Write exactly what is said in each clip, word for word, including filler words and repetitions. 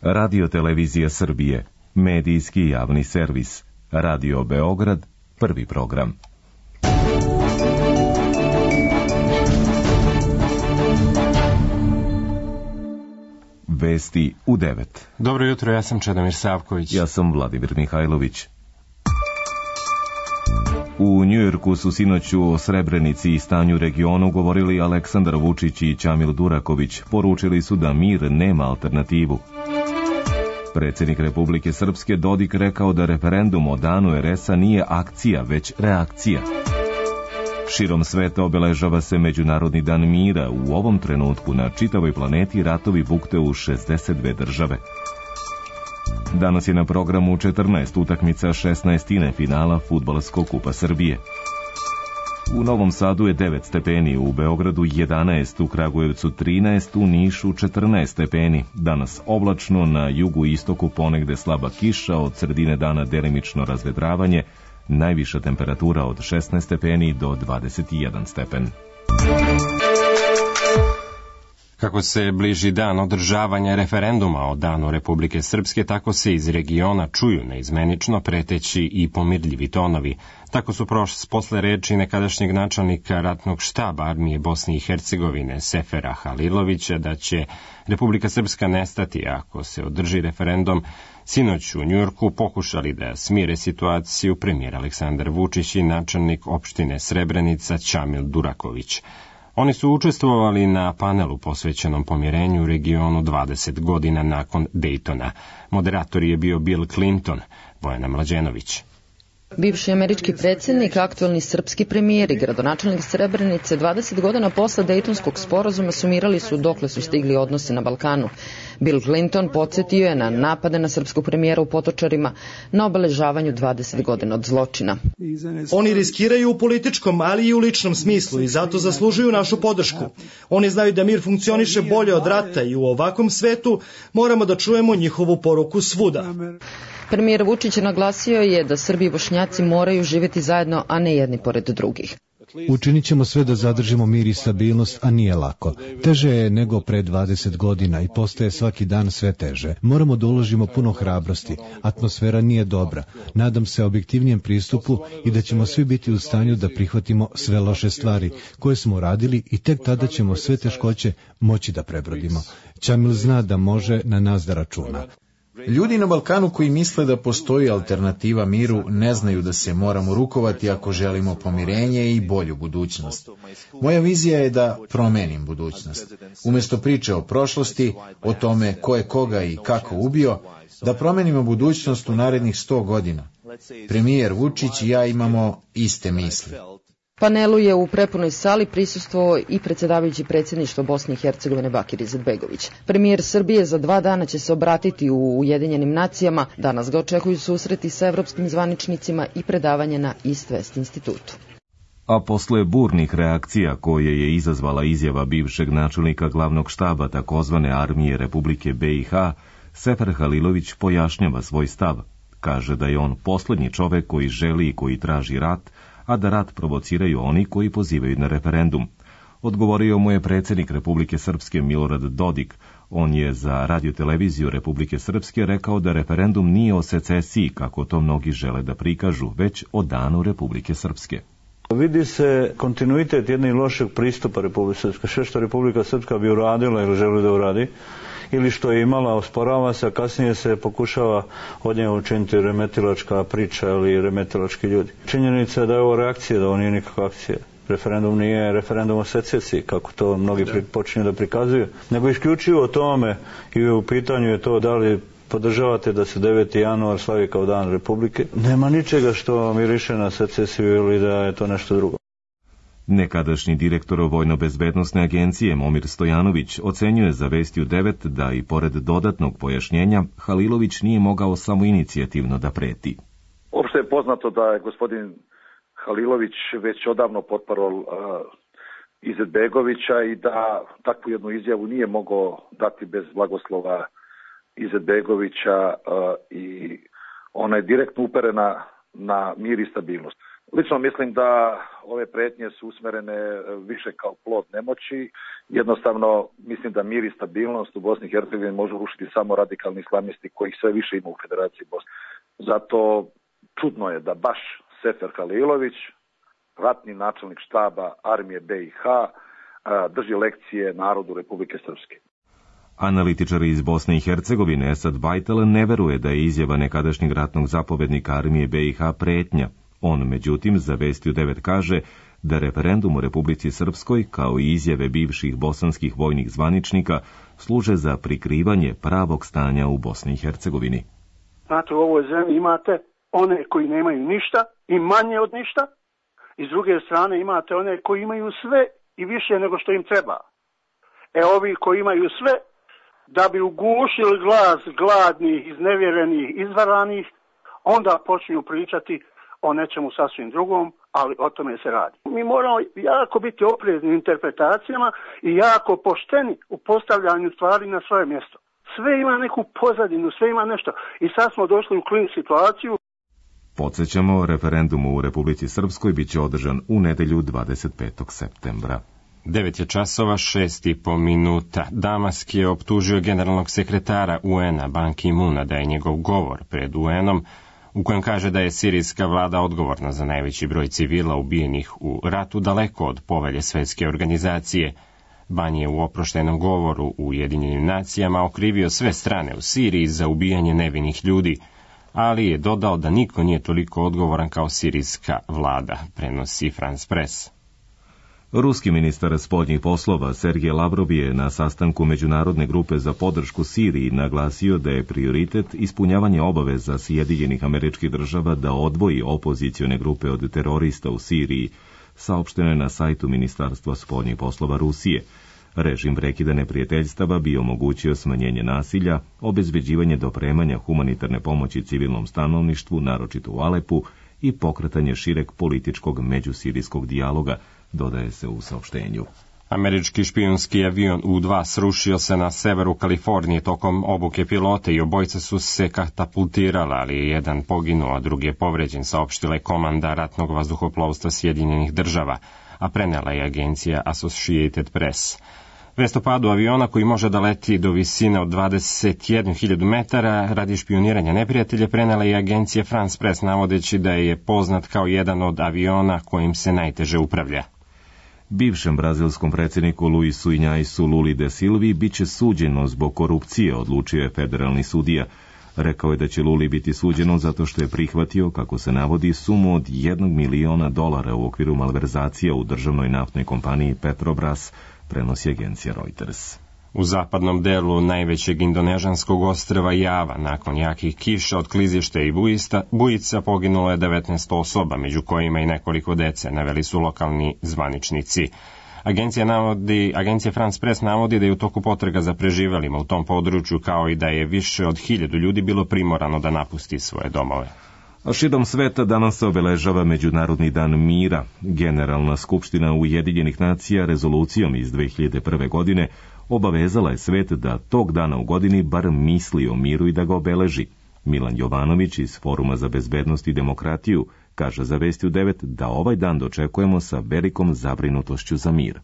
Radio Televizija Srbije, medijski javni servis. Radio Beograd, prvi program. Vesti u devet. Dobro jutro, ja sam Čedomir Savković. Ja sam Vladimir Mihajlović. U Njujorku su sinoću o Srebrenici i stanju regionu govorili Aleksandar Vučić i Čamil Duraković. Poručili su da mir nema alternativu. Predsjednik Republike Srpske Dodik rekao da referendum o danu er es a nije akcija, već reakcija. Širom sveta obeležava se Međunarodni dan mira. U ovom trenutku na čitavoj planeti ratovi bukte u šezdeset dve države. Danas je na programu četrnaest utakmica šesnaestine finala Fudbalskog kupa Srbije. U Novom Sadu je devet stepeni, u Beogradu jedanaest, u Kragujevcu trinaest, u Nišu četrnaest stepeni. Danas oblačno, na jugu i istoku ponegde slaba kiša, od sredine dana delimično razvedravanje, najviša temperatura od šesnaest stepeni do dvadeset jedan stepen. Kako se bliži dan održavanja referenduma o danu Republike Srpske, tako se iz regiona čuju neizmenično preteći i pomirljivi tonovi. Tako su prošli posle reči nekadašnjeg načelnika ratnog štaba armije Bosne i Hercegovine Sefera Halilovića da će Republika Srpska nestati ako se održi referendum. Sinoć u Njujorku pokušali da smire situaciju premijer Aleksandar Vučić i načelnik opštine Srebrenica Čamil Duraković. Oni su učestvovali na panelu posvećenom pomirenju u regionu dvadeset godina nakon Dejtona. Moderator je bio Bill Clinton, Bojana Mlađenović. Bivši američki predsjednik, aktuelni srpski premijer i gradonačelnik Srebrenice dvadeset godina posle Dejtonskog sporazuma sumirali su dokle su stigli odnosi na Balkanu. Bill Clinton podsjetio je na napade na srpskog premijera u Potočarima na obeležavanju dvadeset godina od zločina. Oni riskiraju u političkom, ali i u ličnom smislu i zato zaslužuju našu podršku. Oni znaju da mir funkcioniše bolje od rata i u ovakvom svetu moramo da čujemo njihovu poruku svuda. Premijer Vučić naglasio je da Srbi i Bošnjaci moraju živjeti zajedno, a ne jedni pored drugih. Učinit ćemo sve da zadržimo mir i stabilnost, a nije lako. Teže je nego pre dvadeset godina i postaje svaki dan sve teže. Moramo da uložimo puno hrabrosti. Atmosfera nije dobra. Nadam se objektivnijem pristupu i da ćemo svi biti u stanju da prihvatimo sve loše stvari koje smo uradili i tek tada ćemo sve teškoće moći da prebrodimo. Čamil zna da može na nas da računa. Ljudi na Balkanu koji misle da postoji alternativa miru ne znaju da se moramo rukovati ako želimo pomirenje i bolju budućnost. Moja vizija je da promenim budućnost. Umjesto priče o prošlosti, o tome ko je koga i kako ubio, da promenimo budućnost u narednih sto godina. Premijer Vučić i ja imamo iste misli. Panelu je u prepunoj sali prisustvovao i predsjedavajući predsjedništvo Bosne i Hercegovine Bakir Izetbegović. Premijer Srbije za dva dana će se obratiti u Ujedinjenim nacijama. Danas ga očekuju susreti sa evropskim zvaničnicima i predavanje na East West institutu. A posle burnih reakcija koje je izazvala izjava bivšeg načelnika glavnog štaba takozvane armije Republike be i ha, Sefer Halilović pojašnjava svoj stav. Kaže da je on poslednji čovek koji želi i koji traži rat, a da rat provociraju oni koji pozivaju na referendum. Odgovorio mu je predsjednik Republike Srpske Milorad Dodik. On je za radioteleviziju Republike Srpske rekao da referendum nije o secesiji, kako to mnogi žele da prikažu, već o danu Republike Srpske. Vidi se kontinuitet jednog lošeg pristupa Republike Srpske. Sve što Republika Srpska bi uradila ili želi da uradi, ili što je imala, osporava se, a kasnije se pokušava od njega učiniti remetilačka priča ili remetilački ljudi. Činjenica je da je ovo reakcija, da ovo nije nikakva akcija. Referendum nije referendum o secesiji, kako to mnogi počinju da prikazuju, nego isključivo o tome i u pitanju je to da li podržavate da se deveti januar slavi kao dan Republike. Nema ničega što miriše na secesiju ili da je to nešto drugo. Nekadašnji direktor Vojno-bezbednosne agencije Momir Stojanović ocenjuje za Vesti u devet da i pored dodatnog pojašnjenja Halilović nije mogao samoinicijativno da preti. Opšte je poznato da je gospodin Halilović već odavno potparol uh, Izetbegovića i da takvu jednu izjavu nije mogao dati bez blagoslova Izetbegovića uh, i ona je direktno uperena na mir i stabilnost. Lično mislim da ove pretnje su usmerene više kao plod nemoći. Jednostavno, mislim da mir i stabilnost u Bosni i Hercegovini može urušiti samo radikalni islamisti kojih sve više ima u Federaciji Bosne. Zato čudno je da baš Sefer Halilović, ratni načelnik štaba armije B i H, drži lekcije narodu Republike Srpske. Analitičar iz Bosne i Hercegovine Esad Bajtel ne veruje da je izjava nekadašnjeg ratnog zapovednika armije B i H pretnja. On, međutim, za Vestiju devet kaže da referendum u Republici Srpskoj, kao i izjave bivših bosanskih vojnih zvaničnika, služe za prikrivanje pravog stanja u Bosni i Hercegovini. Znate, u ovoj zemlji imate one koji nemaju ništa i manje od ništa, i s druge strane imate one koji imaju sve i više nego što im treba. E ovi koji imaju sve, da bi ugušili glas gladnih, iznevjerenih, izvaranih, onda počinju pričati o nečemu sasvim drugom, ali o tome se radi. Mi moramo jako biti oprezni u interpretacijama i jako pošteni u postavljanju stvari na svoje mjesto. Sve ima neku pozadinu, sve ima nešto. I sad smo došli u klin situaciju. Podsjećamo, referendum u Republici Srpskoj bit će održan u nedelju dvadeset petog septembra. Devet je časova, šest i po minuta. Damask je optužio generalnog sekretara U N-a Ban Ki-moona da je njegov govor pred U N-om, u kojem kaže da je sirijska vlada odgovorna za najveći broj civila ubijenih u ratu, daleko od povelje Svetske organizacije. Ban je u oproštenom govoru u Ujedinjenim nacijama okrivio sve strane u Siriji za ubijanje nevinih ljudi, ali je dodao da niko nije toliko odgovoran kao sirijska vlada, prenosi France Press. Ruski ministar spoljnih poslova Sergej Lavrov je na sastanku Međunarodne grupe za podršku Siriji naglasio da je prioritet ispunjavanje obaveza Sjedinjenih Američkih Država da odvoji opozicione grupe od terorista u Siriji, saopšteno je na sajtu Ministarstva spoljnih poslova Rusije. Režim prekida neprijateljstava bi omogućio smanjenje nasilja, obezbeđivanje dopremanja humanitarne pomoći civilnom stanovništvu, naročito u Alepu, i pokretanje šireg političkog međusirijskog dijaloga, dodaje se u saopštenju. Američki špijunski avion U dva srušio se na severu Kalifornije tokom obuke pilota i obojica su se katapultirala, ali je jedan poginuo, a drugi je povređen, saopštila je komanda ratnog vazduhoplovstva Sjedinjenih Država, a prenela je agencija Associated Press. Vest o padu aviona koji može da leti do visine od dvadeset jednu hiljadu metara radi špioniranja neprijatelja prenela je agencija France Press, navodeći da je poznat kao jedan od aviona kojim se najteže upravlja. Bivšem brazilskom predsjedniku Luisu Inhaisu Luli de Silvi biće suđeno zbog korupcije, odlučio je federalni sudija. Rekao je da će Luli biti suđeno zato što je prihvatio, kako se navodi, sumu od jednog miliona dolara u okviru malverzacija u državnoj naftnoj kompaniji Petrobras, prenosi agencija Reuters. U zapadnom delu najvećeg indonežanskog ostrva Java, nakon jakih kiša od klizišta i bujista, bujica poginulo je devetnaest osoba, među kojima i nekoliko dece, naveli su lokalni zvaničnici. Agencija, navodi, agencija France Press navodi da je u toku potraga za preživelima u tom području, kao i da je više od hiljadu ljudi bilo primorano da napusti svoje domove. A širom sveta danas se obeležava Međunarodni dan mira. Generalna skupština Ujedinjenih nacija rezolucijom iz dve hiljade prve. godine obavezala je svet da tog dana u godini bar misli o miru i da ga obeleži. Milan Jovanović iz Foruma za bezbednost i demokratiju kaže za Vestiju devet da ovaj dan dočekujemo sa velikom zabrinutošću za mir.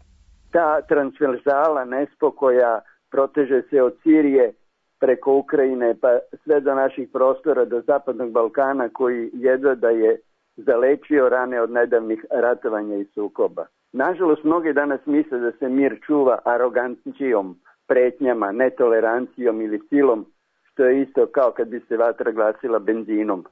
Ta transverzala nespokoja proteže se od Sirije preko Ukrajine pa sve do naših prostora, do Zapadnog Balkana, koji jedva da je zalečio rane od nedavnih ratovanja i sukoba. Nažalost, mnogi danas misle da se mir čuva arogancijom, pretnjama, netolerancijom ili silom, što je isto kao kad bi se vatra glasila benzinom.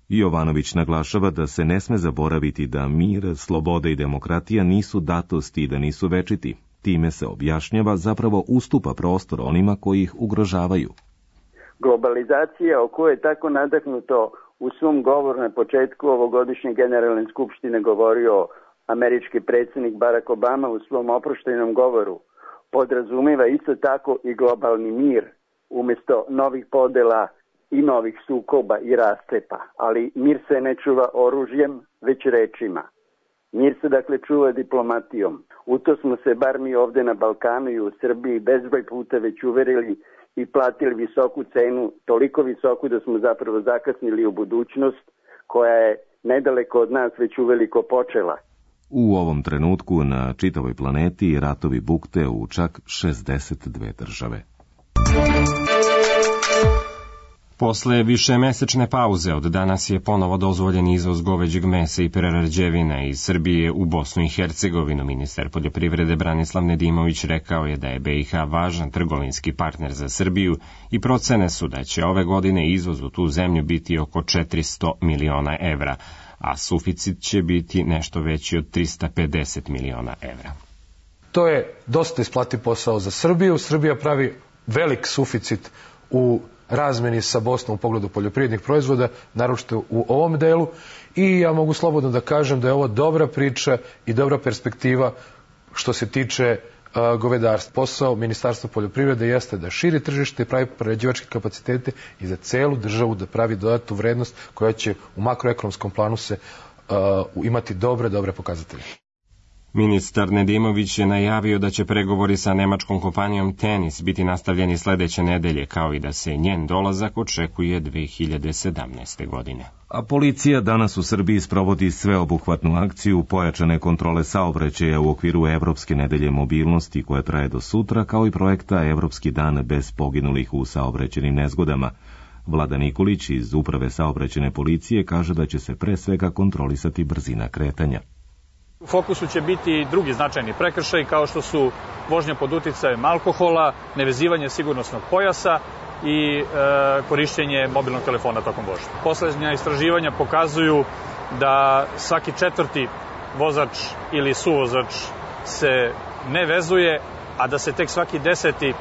Jovanović naglašava da se ne sme zaboraviti da mir, sloboda i demokratija nisu datosti i da nisu večiti. Time se objašnjava zapravo ustupa prostor onima koji ih ugrožavaju. Globalizacija o kojoj je tako nadahnuto u svom govoru na početku ovogodišnje generalne skupštine govorio američki predsjednik Barack Obama u svom oproštajnom govoru, podrazumiva isto tako i globalni mir umjesto novih podela i novih sukoba i rastepa. Ali mir se ne čuva oružjem, već rečima. Mir se dakle čuva diplomatijom. U to smo se bar mi ovdje na Balkanu i u Srbiji bezbroj puta već uverili i platili visoku cenu, toliko visoku da smo zapravo zakasnili u budućnost koja je nedaleko od nas već uveliko počela. U ovom trenutku na čitavoj planeti ratovi bukte u čak šezdeset dve države. Posle višemesečne pauze od danas je ponovo dozvoljen izvoz goveđeg mesa i prerađevina iz Srbije u Bosnu i Hercegovinu. Ministar poljoprivrede Branislav Nedimović rekao je da je B i H važan trgovinski partner za Srbiju i procene su da će ove godine izvoz u tu zemlju biti oko četiristo miliona evra, a suficit će biti nešto veći od trista pedeset miliona evra. To je dosta isplati posao za Srbiju. Srbija pravi velik suficit u razmeni sa Bosnom u pogledu poljoprivrednih proizvoda, naročito u ovom delu, i ja mogu slobodno da kažem da je ovo dobra priča i dobra perspektiva što se tiče uh, govedarstva. Posao Ministarstva poljoprivrede jeste da širi tržište i pravi prerađivačke kapacitete i za celu državu da pravi dodatnu vrednost koja će u makroekonomskom planu se uh, imati dobre, dobre pokazatelje. Ministar Nedimović je najavio da će pregovori sa nemačkom kompanijom Tenis biti nastavljeni sledeće nedelje, kao i da se njen dolazak očekuje dve hiljade sedamnaeste. godine. A policija danas u Srbiji sprovodi sveobuhvatnu akciju pojačane kontrole saobraćaja u okviru Evropske nedelje mobilnosti koja traje do sutra, kao i projekta Evropski dan bez poginulih u saobraćajnim nezgodama. Vlada Nikolić iz Uprave saobraćajne policije kaže da će se pre svega kontrolisati brzina kretanja. U fokusu će biti drugi značajni prekršaj kao što su vožnja pod uticajem alkohola, nevezivanje sigurnosnog pojasa i e, korišćenje mobilnog telefona tokom vožnje. Poslednja istraživanja pokazuju da svaki četvrti vozač ili suvozač se ne vezuje, a da se tek svaki deseti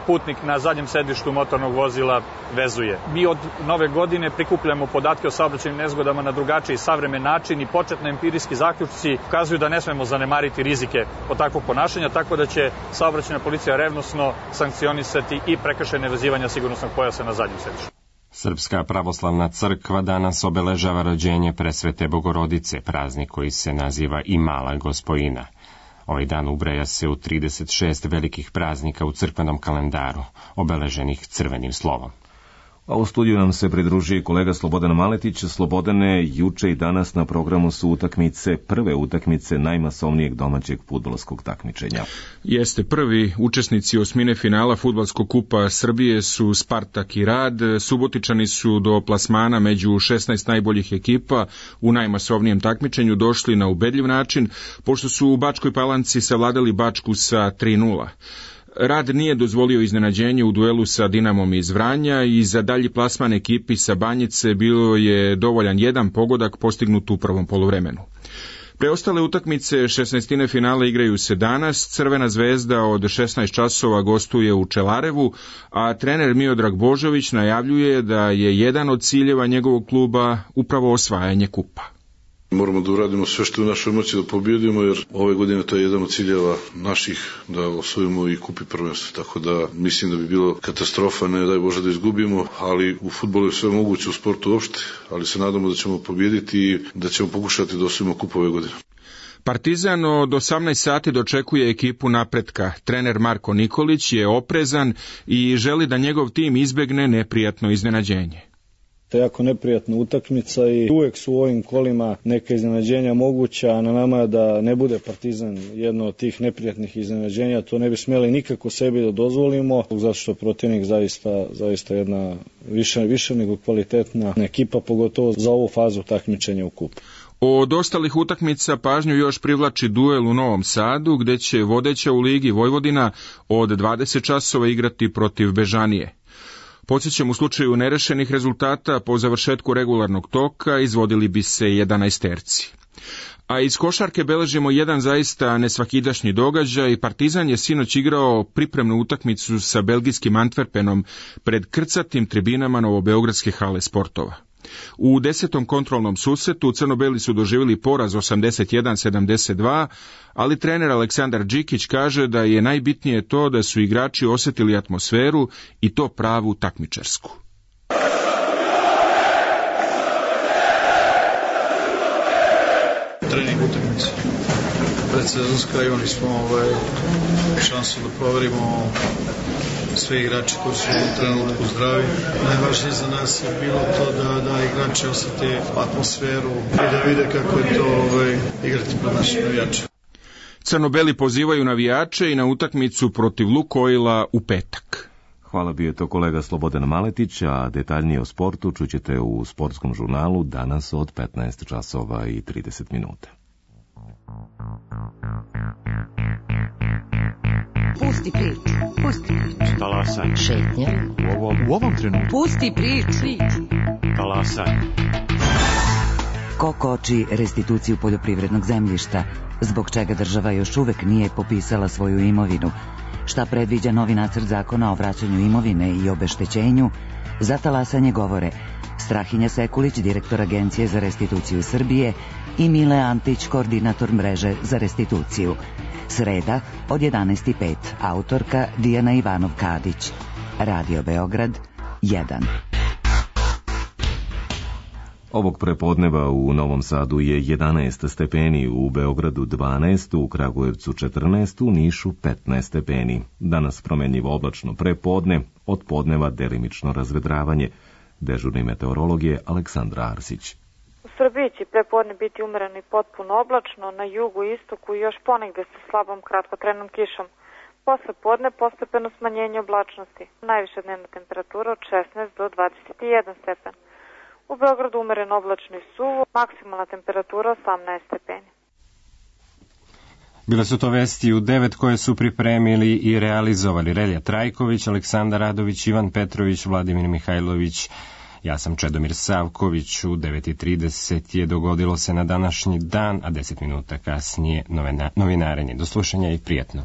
putnik na zadnjem sedištu motornog vozila vezuje. Mi od nove godine prikupljamo podatke o saobraćajnim nezgodama na drugačiji savremen način i početni empirijski zaključci ukazuju da ne smemo zanemariti rizike od takvog ponašanja, tako da će saobraćajna policija revnosno sankcionisati i prekršaj nevezivanja sigurnosnog pojasa na zadnjem sedištu. Srpska pravoslavna crkva danas obeležava rođenje Presvete Bogorodice, praznik koji se naziva i Mala Gospojina. Ovaj dan ubraja se u trideset šest velikih praznika u crkvenom kalendaru, obeleženih crvenim slovom. A u studiju nam se pridruži kolega Slobodan Maletić. Slobodane, juče i danas na programu su utakmice, prve utakmice najmasovnijeg domaćeg fudbalskog takmičenja. Jeste, prvi učesnici osmine finala Fudbalskog kupa Srbije su Spartak i Rad. Subotičani su do plasmana među šesnaest najboljih ekipa u najmasovnijem takmičenju došli na ubedljiv način, pošto su u Bačkoj Palanci savladali Bačku sa tri nula. Rad nije dozvolio iznenađenje u duelu sa Dinamom iz Vranja i za dalji plasman ekipi sa Banjice bilo je dovoljan jedan pogodak postignut u prvom poluvremenu. Preostale utakmice šesnaestine finala igraju se danas. Crvena zvezda od šesnaest časova gostuje u Čelarevu, a trener Miodrag Božović najavljuje da je jedan od ciljeva njegovog kluba upravo osvajanje kupa. Moramo da uradimo sve što je u našoj moći da pobjedimo, jer ove godine to je jedan od ciljeva naših, da osvojimo i kupi prvenstvo. Tako da mislim da bi bilo katastrofa, ne daj Bože da izgubimo, ali u fudbalu je sve moguće, u sportu uopšte, ali se nadamo da ćemo pobjediti i da ćemo pokušati da osvojimo kup ove godine. Partizan od osamnaest sati dočekuje ekipu Napretka. Trener Marko Nikolić je oprezan i želi da njegov tim izbegne neprijatno iznenađenje. To je jako neprijatna utakmica i uvek su u ovim kolima neka iznenađenja moguća, a na nama je da ne bude Partizan jedno od tih neprijatnih iznenađenja. To ne bi smeli nikako sebi da dozvolimo, zato što protivnik zaista, zaista jedna više, više nego kvalitetna ekipa, pogotovo za ovu fazu takmičenja u kupu. Od ostalih utakmica pažnju još privlači duel u Novom Sadu, gde će vodeća u Ligi Vojvodina od dvadeset časova igrati protiv Bežanije. Podsjećam, u slučaju nerešenih rezultata po završetku regularnog toka izvodili bi se jedanaesterci. A iz košarke beležimo jedan zaista nesvakidašnji događaj. Partizan je sinoć igrao pripremnu utakmicu sa belgijskim Antwerpenom pred krcatim tribinama Novobeogradske hale sportova. U desetom kontrolnom susretu crno-beli su doživjeli poraz osamdeset jedan sedamdeset dva, ali trener Aleksandar Đikić kaže da je najbitnije to da su igrači osjetili atmosferu i to pravu takmičarsku. Trening utakmice. Predsezonska, imali smo ovaj, šansu da proverimo sve igrače koji su u trenutku zdravi. Najvažnije za nas je bilo to da, da igrači osjete atmosferu i da vide kako je to ovaj, igrati pred našim navijačima. Crno-beli pozivaju navijače i na utakmicu protiv Lukoila u petak. Hvala, bio je to kolega Slobodan Maletić, a detaljnije o sportu čućete u sportskom žurnalu danas od petnaest časova i trideset minuta. Pusti priču, pusti priču. Talasaj. Šetnja. U ovom, u ovom trenutku. Pusti priču. Talasaj. Ko koči restituciju poljoprivrednog zemljišta, zbog čega država još uvek nije popisala svoju imovinu, šta predviđa novi nacrt zakona o vraćanju imovine i obeštećenju, za talasanje govore Strahinja Sekulić, direktor Agencije za restituciju Srbije, i Mile Antić, koordinator mreže za restituciju. Sreda od jedanaest i pet, autorka Dijana Ivanov-Kadić. Radio Beograd jedan. Ovog prepodneva u Novom Sadu je jedanaest stepeni, u Beogradu dvanaest, u Kragujevcu četrnaest, u Nišu petnaest stepeni. Danas promenljivo oblačno prepodne, od podneva delimično razvedravanje. Dežurni meteorolog je Aleksandra Arsić. U Srbiji će prepodne biti umereno i potpuno oblačno, na jugu i istoku i još ponegde sa slabom kratkotrenom kišom. Posle podne postepeno smanjenje oblačnosti. Najviša dnevna temperatura od šesnaest do dvadeset jedan stepen. U Beogradu umereno oblačno i suvo, maksimalna temperatura osamnaest stepeni. Bile su to vesti u devet koje su pripremili i realizovali Relja Trajković, Aleksandar Radović, Ivan Petrović, Vladimir Mihajlović. Ja sam Čedomir Savković. U devet i trideset je dogodilo se na današnji dan, a deset minuta kasnije novina, novinarenje. Do slušanja i prijatno.